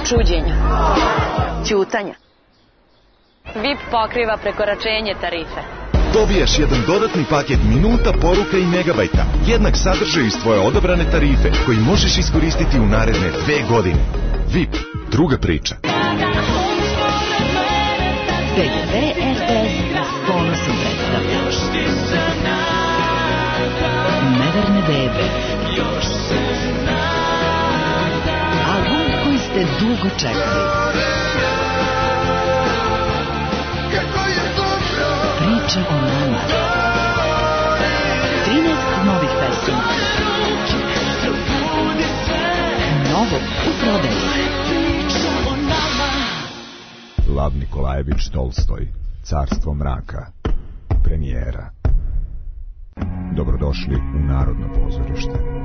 čuđenja, ćutanja. V I P pokriva prekoračenje tarife. Dobijaš jedan dodatni paket minuta, poruka i megabajta. Jednak sadržaj iz tvoje odabrane tarife koji možeš iskoristiti u naredne dve godine. V I P. Druga priča. P G P R T S ponosom predstavlja Neverne bebe. Album koji ste dugo čekali. Priča o nama. trinaest novih pesama. Novo u prodaju. Lav Nikolajević Tolstoj, Carstvo mraka, premijera. Dobrodošli u Narodno pozorište.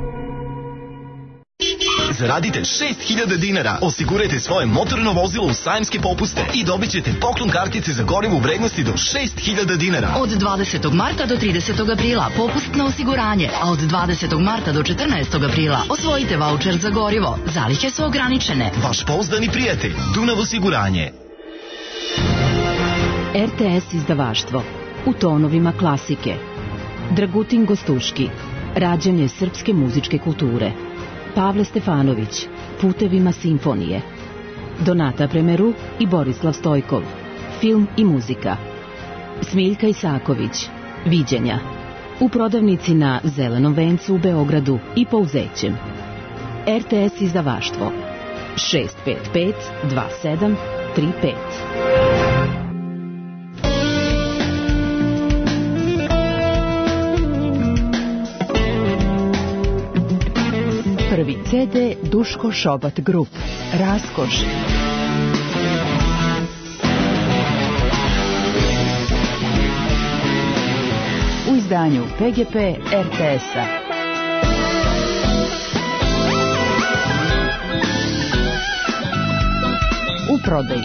Zaradite šest hiljada dinara, osigurajte svoje motorno vozilo u sajamske popuste i dobit ćete poklon kartice za gorivo u vrednosti do šest hiljada dinara. Od dvadesetog marta do tridesetog aprila popust na osiguranje, a od dvadesetog marta do četrnaestog aprila osvojite vaučer za gorivo. Zalihe su ograničene. Vaš pouzdani prijatelj, Dunav osiguranje. R T S izdavaštvo u tonovima klasike. Dragutin Gostuški, rađanje srpske muzičke kulture. Pavle Stefanović, Putevima simfonije. Donata Premeru i Borislav Stojkov, film i muzika. Smiljka Isaković, Viđenja. U prodavnici na Zelenom vencu u Beogradu i Pouzećem. R T S izdavaštvo šest pet pet dva sedam tri pet. Prvi C D Duško Šobat Grup. Raskoš. U izdanju P G P R T S-a. U prodaji.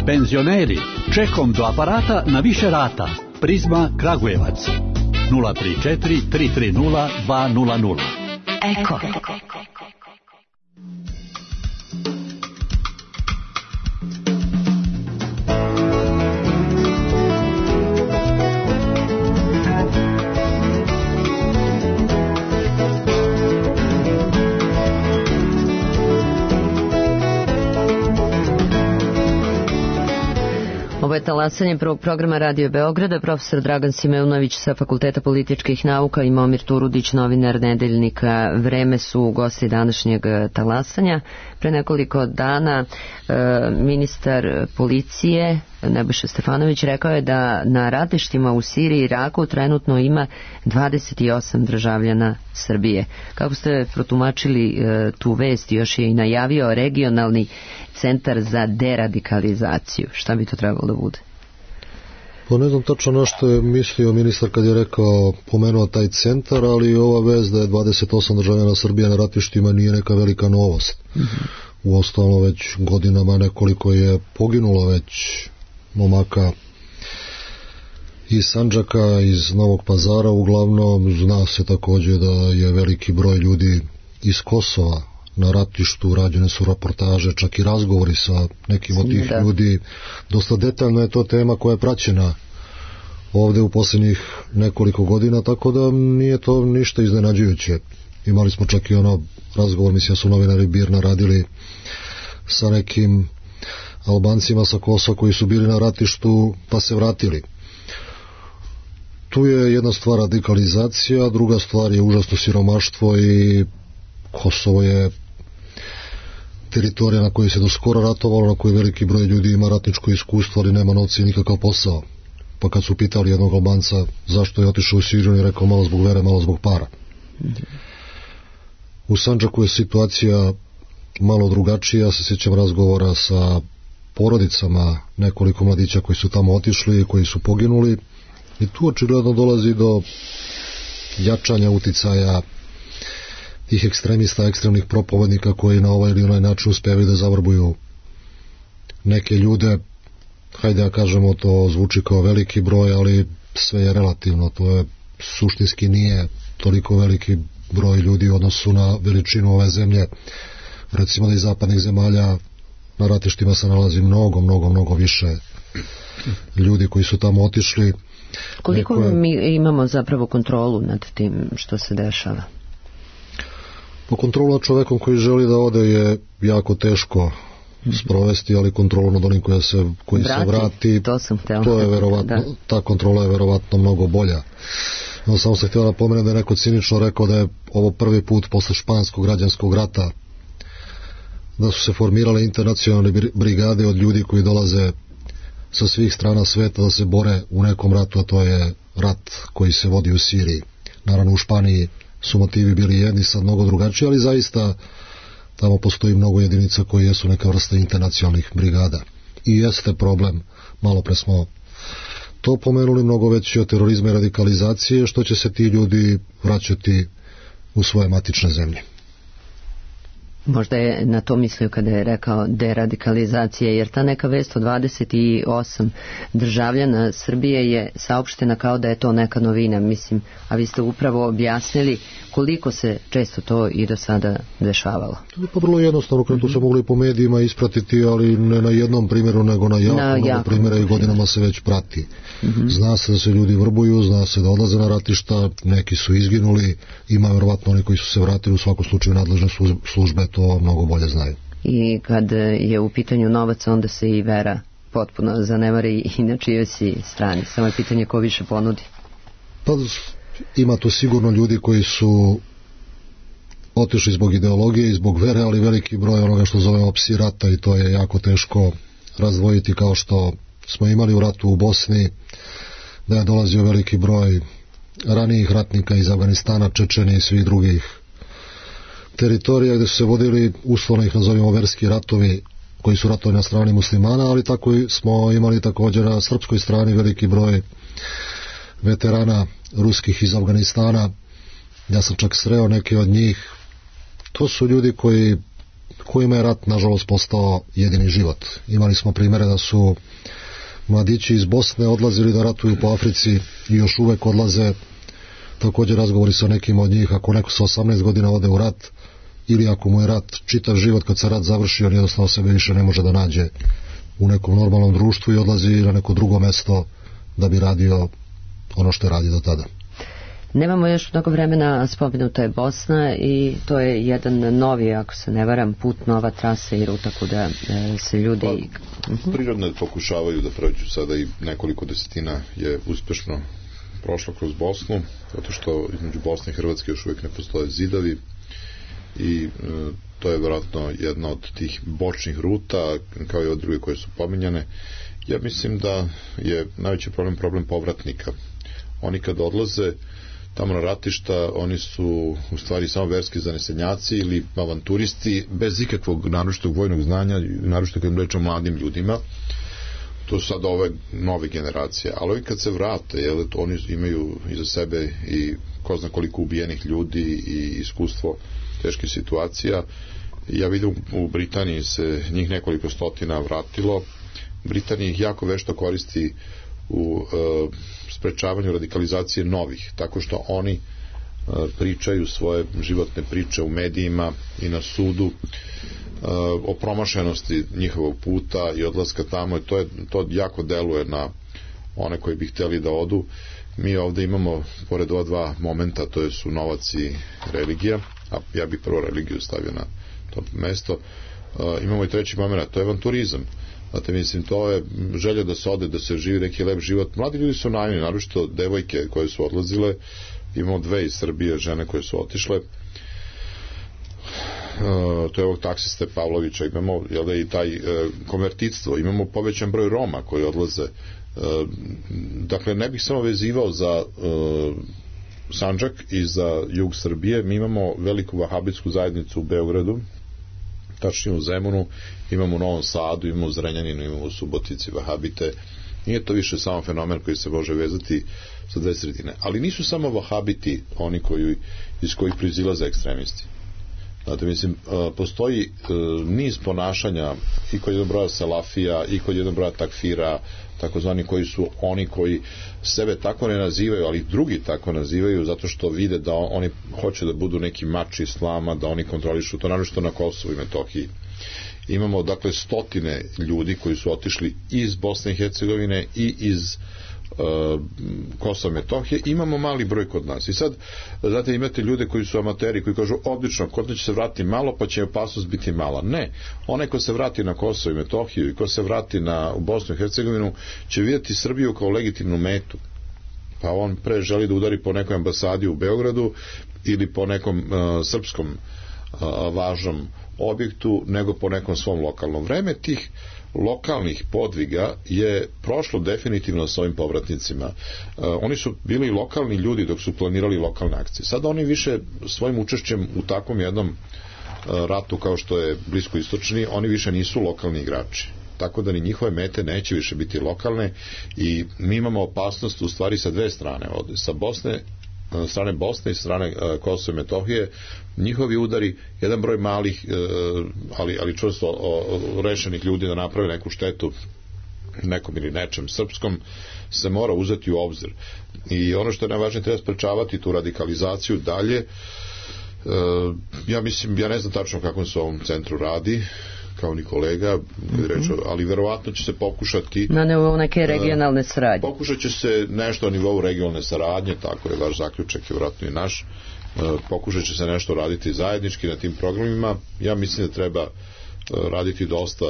Penzioneri, čekom do aparata na više rata. Prizma Kragujevac. nula tri četiri tri tri nula dva nula nula. Eko. je talasanje prvog programa Radio Beograda, profesor Dragan Simeunović sa Fakulteta političkih nauka i Momir Turudić, novinar Nedeljnika Vreme su gosti današnjeg talasanja. Pre nekoliko dana e, ministar policije Nebojša Stefanović rekao je da na ratištima u Siriji i Iraku trenutno ima dvadeset osam državljana Srbije. Kako ste protumačili e, tu vest? Još je i najavio regionalni centar za deradikalizaciju. Šta bi to trebalo da bude? Pa ne znam tačno na što je mislio ministar kad je rekao, pomenuo taj centar, ali ova vest da je dvadeset osam državljana Srbije na ratištima nije neka velika novost. Mm-hmm. Uostalom već godinama nekoliko je poginulo već momaka iz Sandžaka, iz Novog Pazara, uglavnom zna se također da je veliki broj ljudi iz Kosova na ratištu, rađene su reportaže, čak i razgovori sa nekim od tih ljudi. Dosta detaljno je to tema koja je praćena ovde u posljednjih nekoliko godina, tako da nije to ništa iznenađujuće. Imali smo čak i ono razgovor, mislim da su novinari Birna radili sa nekim Albancima sa Kosova koji su bili na ratištu pa se vratili. Tu je jedna stvar radikalizacija, druga stvar je užasno siromaštvo i Kosovo je teritorija na kojoj se do skoro ratovalo, na kojoj veliki broj ljudi ima ratničko iskustvo, ali nema novca i nikakav posao. Pa kad su pitali jednog Albanca zašto je otišao u Siriju, on je rekao malo zbog vere, malo zbog para. U Sandžaku je situacija malo drugačija. Ja se sjećam razgovora sa porodicama nekoliko mladića koji su tamo otišli, koji su poginuli, i tu očigledno dolazi do jačanja uticaja tih ekstremista, ekstremnih propovednika koji na ovaj ili onaj način uspevaju da zavrbuju neke ljude. Hajde da kažemo, to zvuči kao veliki broj, ali sve je relativno. To je suštinski nije toliko veliki broj ljudi u odnosu na veličinu ove zemlje. Recimo da iz zapadnih zemalja na ratištima se nalazi mnogo, mnogo, mnogo više ljudi koji su tamo otišli. Koliko Neko je... mi imamo zapravo kontrolu nad tim što se dešava? Po kontrolu nad čovekom koji želi da ode je jako teško sprovesti, ali kontrolu nad onim koja se, koji vrati, se vrati, to, sam to je verovatno, da. Ta kontrola je verovatno mnogo bolja. No, samo sam htio da napomenem da je neko cinično rekao da je ovo prvi put posle španskog građanskog rata da su se formirale internacionalne brigade od ljudi koji dolaze sa svih strana sveta da se bore u nekom ratu, a to je rat koji se vodi u Siriji. Naravno u Španiji su motivi bili jedni, sad mnogo drugačiji, ali zaista tamo postoji mnogo jedinica koji jesu neka vrsta internacionalnih brigada. I jeste problem, malo pre smo to pomenuli, mnogo veći od terorizma i radikalizacije, što će se ti ljudi vraćati u svoje matične zemlje. Možda je na to mislio kada je rekao deradikalizacija, jer ta neka vest od dvadeset osam državljana Srbije je saopštena kao da je to neka novina, mislim, a vi ste upravo objasnili koliko se često to i do sada dešavalo. To je pa vrlo jednostavno, kada to se mogli po medijima ispratiti, ali ne na jednom primjeru, nego na jako, na jako primjera i godinama se već prati. Mm-hmm. Zna se da se ljudi vrbuju, zna se da odlaze na ratišta, neki su izginuli, ima vjerovatno oni koji su se vratili, u svakom slučaju nadležne službe to mnogo bolje znaju. I kad je u pitanju novac, onda se i vera potpuno zanemari i na čijoj si strani. Samo je pitanje ko više ponudi. Pa ima tu sigurno ljudi koji su otišli zbog ideologije i zbog vere, ali veliki broj onoga što zovemo psi rata, i to je jako teško razdvojiti, kao što smo imali u ratu u Bosni, da je dolazio veliki broj ranijih ratnika iz Afganistana, Čečenije i svih drugih teritorija gdje su se vodili, uslovno ih nazovimo, verski ratovi koji su ratovali na strani muslimana, ali tako smo imali također na srpskoj strani veliki broj veterana ruskih iz Afganistana. Ja sam čak sreo neke od njih. To su ljudi koji, kojima je rat nažalost postao jedini život. Imali smo primjere da su mladići iz Bosne odlazili da ratuju po Africi i još uvek odlaze. Također razgovori sa nekim od njih, ako neko sa osamnaest godina ode u rat, ili ako mu je rat čitav život, kad se rat završi, on jednostavno sebe više ne može da nađe u nekom normalnom društvu i odlazi na neko drugo mesto da bi radio ono što je radio do tada. Nemamo još mnogo vremena, spomenuta je Bosna i to je jedan novi, ako se ne varam, put, nova trasa i ruta kuda e, se ljudi... Pa, prirodno pokušavaju da prođu sada i nekoliko desetina je uspešno prošlo kroz Bosnu, zato što između Bosne i Hrvatske još uvijek ne postoje zidovi i e, to je vjerojatno jedna od tih bočnih ruta, kao i od druge koje su pominjane. Ja mislim da je najveći problem problem povratnika. Oni kad odlaze tamo na ratišta, oni su u stvari samo verski zanesenjaci ili avanturisti bez ikakvog naročitog vojnog znanja, naročito kad rečemo mladim ljudima. To su sad ove nove generacije, ali ovi kad se vrate, jel, oni imaju iza sebe i ko zna koliko ubijenih ljudi i iskustvo teških situacija. Ja vidim u Britaniji se njih nekoliko stotina vratilo. Britanija ih jako vešto koristi u e, sprečavanju radikalizacije novih, tako što oni e, pričaju svoje životne priče u medijima i na sudu e, o promašenosti njihovog puta i odlaska tamo i to, je, to jako deluje na one koji bi htjeli da odu. Mi ovdje imamo, pored ova dva momenta, to je su novac i religija, a ja bih prvo religiju stavio na to mesto, e, imamo i treći moment, to je avanturizam. Znate, mislim, to je želja da se ode, da se živi neki lep život. Mladi ljudi su naivni, naročito devojke koje su odlazile. Imamo dve iz Srbije žene koje su otišle. Uh, to je ovog taksiste Pavlovića. Imamo, jel da, i taj uh, konvertitstvo. Imamo povećan broj Roma koji odlaze. Uh, dakle, ne bih samo vezivao za uh, Sandžak i za jug Srbije. Mi imamo veliku vahabitsku zajednicu u Beogradu, tačnije u Zemunu, imamo u Novom Sadu, imamo u Zrenjaninu, imamo u Subotici vahabite. Nije to više samo fenomen koji se može vezati sa dve sredine. Ali nisu samo vahabiti oni koji, iz kojih proizilaze ekstremisti. Znate, mislim, postoji niz ponašanja i kod jednog broja salafija i kod jednog broja takfira, takozvani koji su oni koji sebe tako ne nazivaju, ali drugi tako nazivaju zato što vide da oni hoće da budu neki mač islama, da oni kontrolišu to, naročito na Kosovu i Metohiji. Imamo dakle stotine ljudi koji su otišli iz Bosne i Hercegovine i iz uh, Kosova i Metohije. Imamo mali broj kod nas. I sad, znate, imate ljude koji su amateri, koji kažu, odlično, kod će se vratiti malo, pa će opasnost biti mala. Ne. Onaj ko se vrati na Kosovo i Metohiju i ko se vrati na, u Bosnu i Hercegovinu, će vidjeti Srbiju kao legitimnu metu. Pa on pre želi da udari po nekoj ambasadi u Beogradu ili po nekom uh, srpskom uh, važnom objektu, nego po nekom svom lokalnom. Vreme tih lokalnih podviga je prošlo definitivno s ovim povratnicima. Uh, oni su bili lokalni ljudi dok su planirali lokalne akcije. Sada oni više svojim učešćem u takvom jednom uh, ratu kao što je bliskoistočni, oni više nisu lokalni igrači. Tako da ni njihove mete neće više biti lokalne i mi imamo opasnost u stvari sa dve strane, od, sa Bosne, strane Bosne i strane uh, Kosova i Metohije. Njihovi udari, jedan broj malih uh, ali, ali čvrsto uh, rešenih ljudi da naprave neku štetu nekom ili nečem srpskom se mora uzeti u obzir i ono što je najvažnije, treba sprečavati tu radikalizaciju dalje. Uh, ja mislim, ja ne znam tačno kako se u ovom centru radi kao ni kolega, mm-hmm. reći, ali verovatno će se pokušati na nivou neke regionalne saradnje. Pokušat će se nešto na nivou regionalne saradnje, tako je vaš zaključak i vjerojatno i naš. Pokušat će se nešto raditi zajednički na tim programima. Ja mislim da treba raditi dosta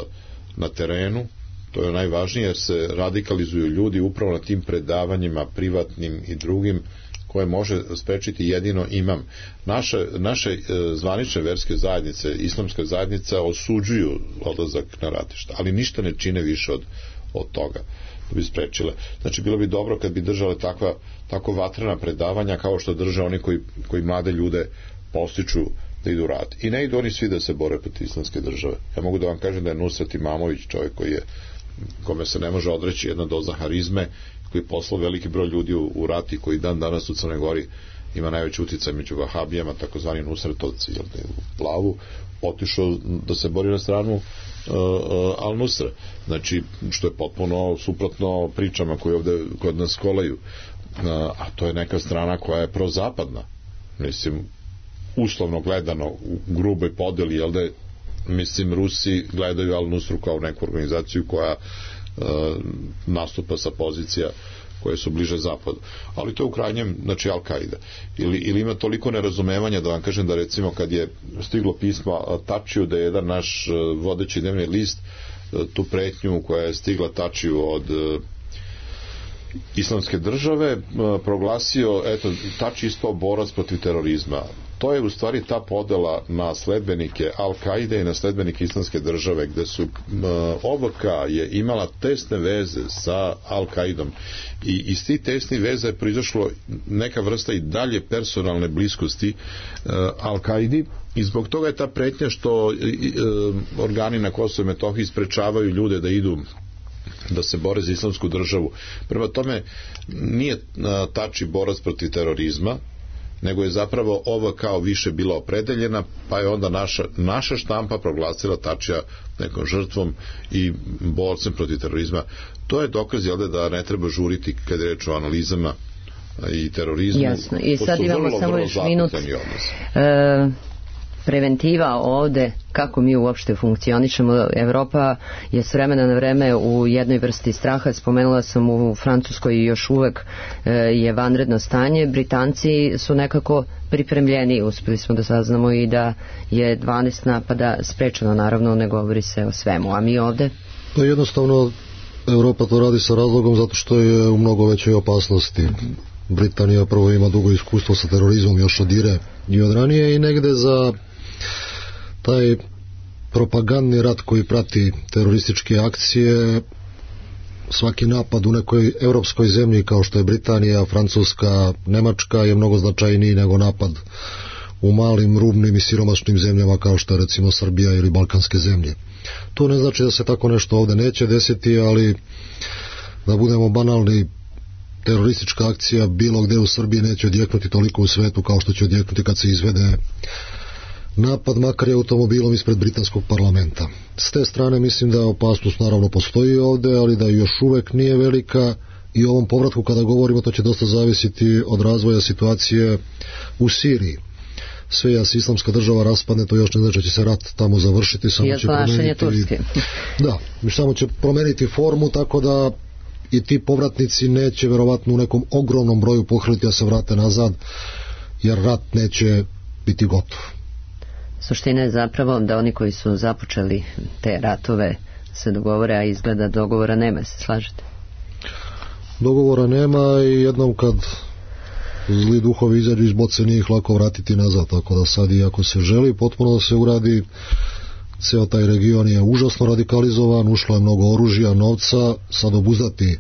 na terenu, to je najvažnije, jer se radikalizuju ljudi upravo na tim predavanjima privatnim i drugim koje može sprečiti jedino imam. Naše, naše e, zvanične verske zajednice, islamska zajednica osuđuju odlazak na ratišta, ali ništa ne čine više od, od toga da bi sprečile. Znači, bilo bi dobro kad bi držale takva, tako vatrena predavanja kao što drže oni koji, koji mlade ljude postiču da idu rat. I ne idu oni svi da se bore protiv islamske države. Ja mogu da vam kažem da je Nusret Imamović čovjek koji je, kome se ne može odreći jedna doza harizme, koji je poslao veliki broj ljudi u, u rati, koji dan danas u Crnoj Gori ima najveći utjecaj među vahabijama, takozvani Nusretovci, jel da je u plavu, otišao da se bori na stranu uh, uh, Al-Nusra. Znači, što je potpuno suprotno pričama koje ovde kod nas kolaju. Uh, a to je neka strana koja je prozapadna. Mislim, uslovno gledano, u gruboj podeli, jel da je, mislim, Rusi gledaju Al-Nusru kao neku organizaciju koja Uh, nastupa sa pozicija koje su bliže zapadu. Ali to je u krajnjem, znači, Al-Kaida. Ili, ili ima toliko nerazumevanja da vam kažem da recimo kad je stiglo pismo Tačiju, da je jedan naš vodeći dnevni list tu pretnju koja je stigla Tačiju od Islamske države proglasio, eto, Tači ispao borac protiv terorizma. To je u stvari ta podela na sledbenike Al-Kaide i na sledbenike Islamske države, gde su O V K je imala tesne veze sa Al-Kaidom i iz tih tesnih veza je proizašlo neka vrsta i dalje personalne bliskosti Al-Kaidi i zbog toga je ta pretnja što organi na Kosovu i Metohiji sprečavaju ljude da idu da se bore za Islamsku državu. Prema tome nije Tači borac protiv terorizma, nego je zapravo O V K više bila opredeljena, pa je onda naša, naša štampa proglasila Tačija nekom žrtvom i borcem protiv terorizma. To je dokaz, jel da ne treba žuriti kad je reč o analizama i terorizmu. Jasno. I sad imamo vrlo, samo još minut. E, preventiva ovde, kako mi uopšte funkcionišemo. Evropa je s vremena na vreme u jednoj vrsti straha. Spomenula sam u Francuskoj i još uvek e, je vanredno stanje. Britanci su nekako pripremljeni. Uspeli smo da saznamo i da je dvanaest napada sprečeno, naravno ne govori se o svemu. A mi ovde? Pa jednostavno Evropa to radi sa razlogom zato što je u mnogo većoj opasnosti. Britanija prvo ima dugo iskustvo sa terorizmom još od Ire i od ranije i negde za taj propagandni rat koji prati terorističke akcije, svaki napad u nekoj evropskoj zemlji kao što je Britanija, Francuska, Nemačka je mnogo značajniji nego napad u malim, rubnim i siromašnim zemljama kao što je recimo Srbija ili balkanske zemlje. To ne znači da se tako nešto ovde neće desiti, ali da budemo banalni, teroristička akcija bilo gde u Srbiji neće odjeknuti toliko u svetu kao što će odjeknuti kad se izvede napad makar je automobilom ispred britanskog parlamenta. S te strane mislim da opasnost naravno postoji ovde, ali da još uvek nije velika i o ovom povratku kada govorimo to će dosta zavisiti od razvoja situacije u Siriji. Sve ja se Islamska država raspadne, to još ne znači da će se rat tamo završiti, samo će promeniti, da, samo će promeniti formu, tako da i ti povratnici neće verovatno u nekom ogromnom broju pohrliti da se vrate nazad, jer rat neće biti gotov. Suština je zapravo da oni koji su započeli te ratove se dogovore, a izgleda dogovora nema, se slažete? Dogovora nema i jednom kad zli duhovi izađu iz boce nije ih lako vratiti nazad, tako da sad i ako se želi potpuno da se uradi, ceo taj region je užasno radikalizovan, ušlo je mnogo oružja, novca, sad obuzdati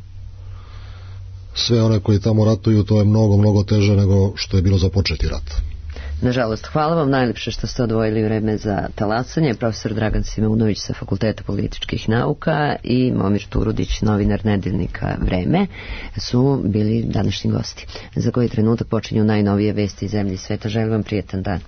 sve one koji tamo ratuju, to je mnogo, mnogo teže nego što je bilo započeti rat. Nažalost, hvala vam najlepše što ste odvojili vreme za talasanje. Profesor Dragan Simeunović sa Fakulteta političkih nauka i Momir Turudić, novinar nedeljnika Vreme, su bili današnji gosti. Za koji trenutak počinju najnovije vesti iz zemlje i sveta. Želim vam prijetan dan.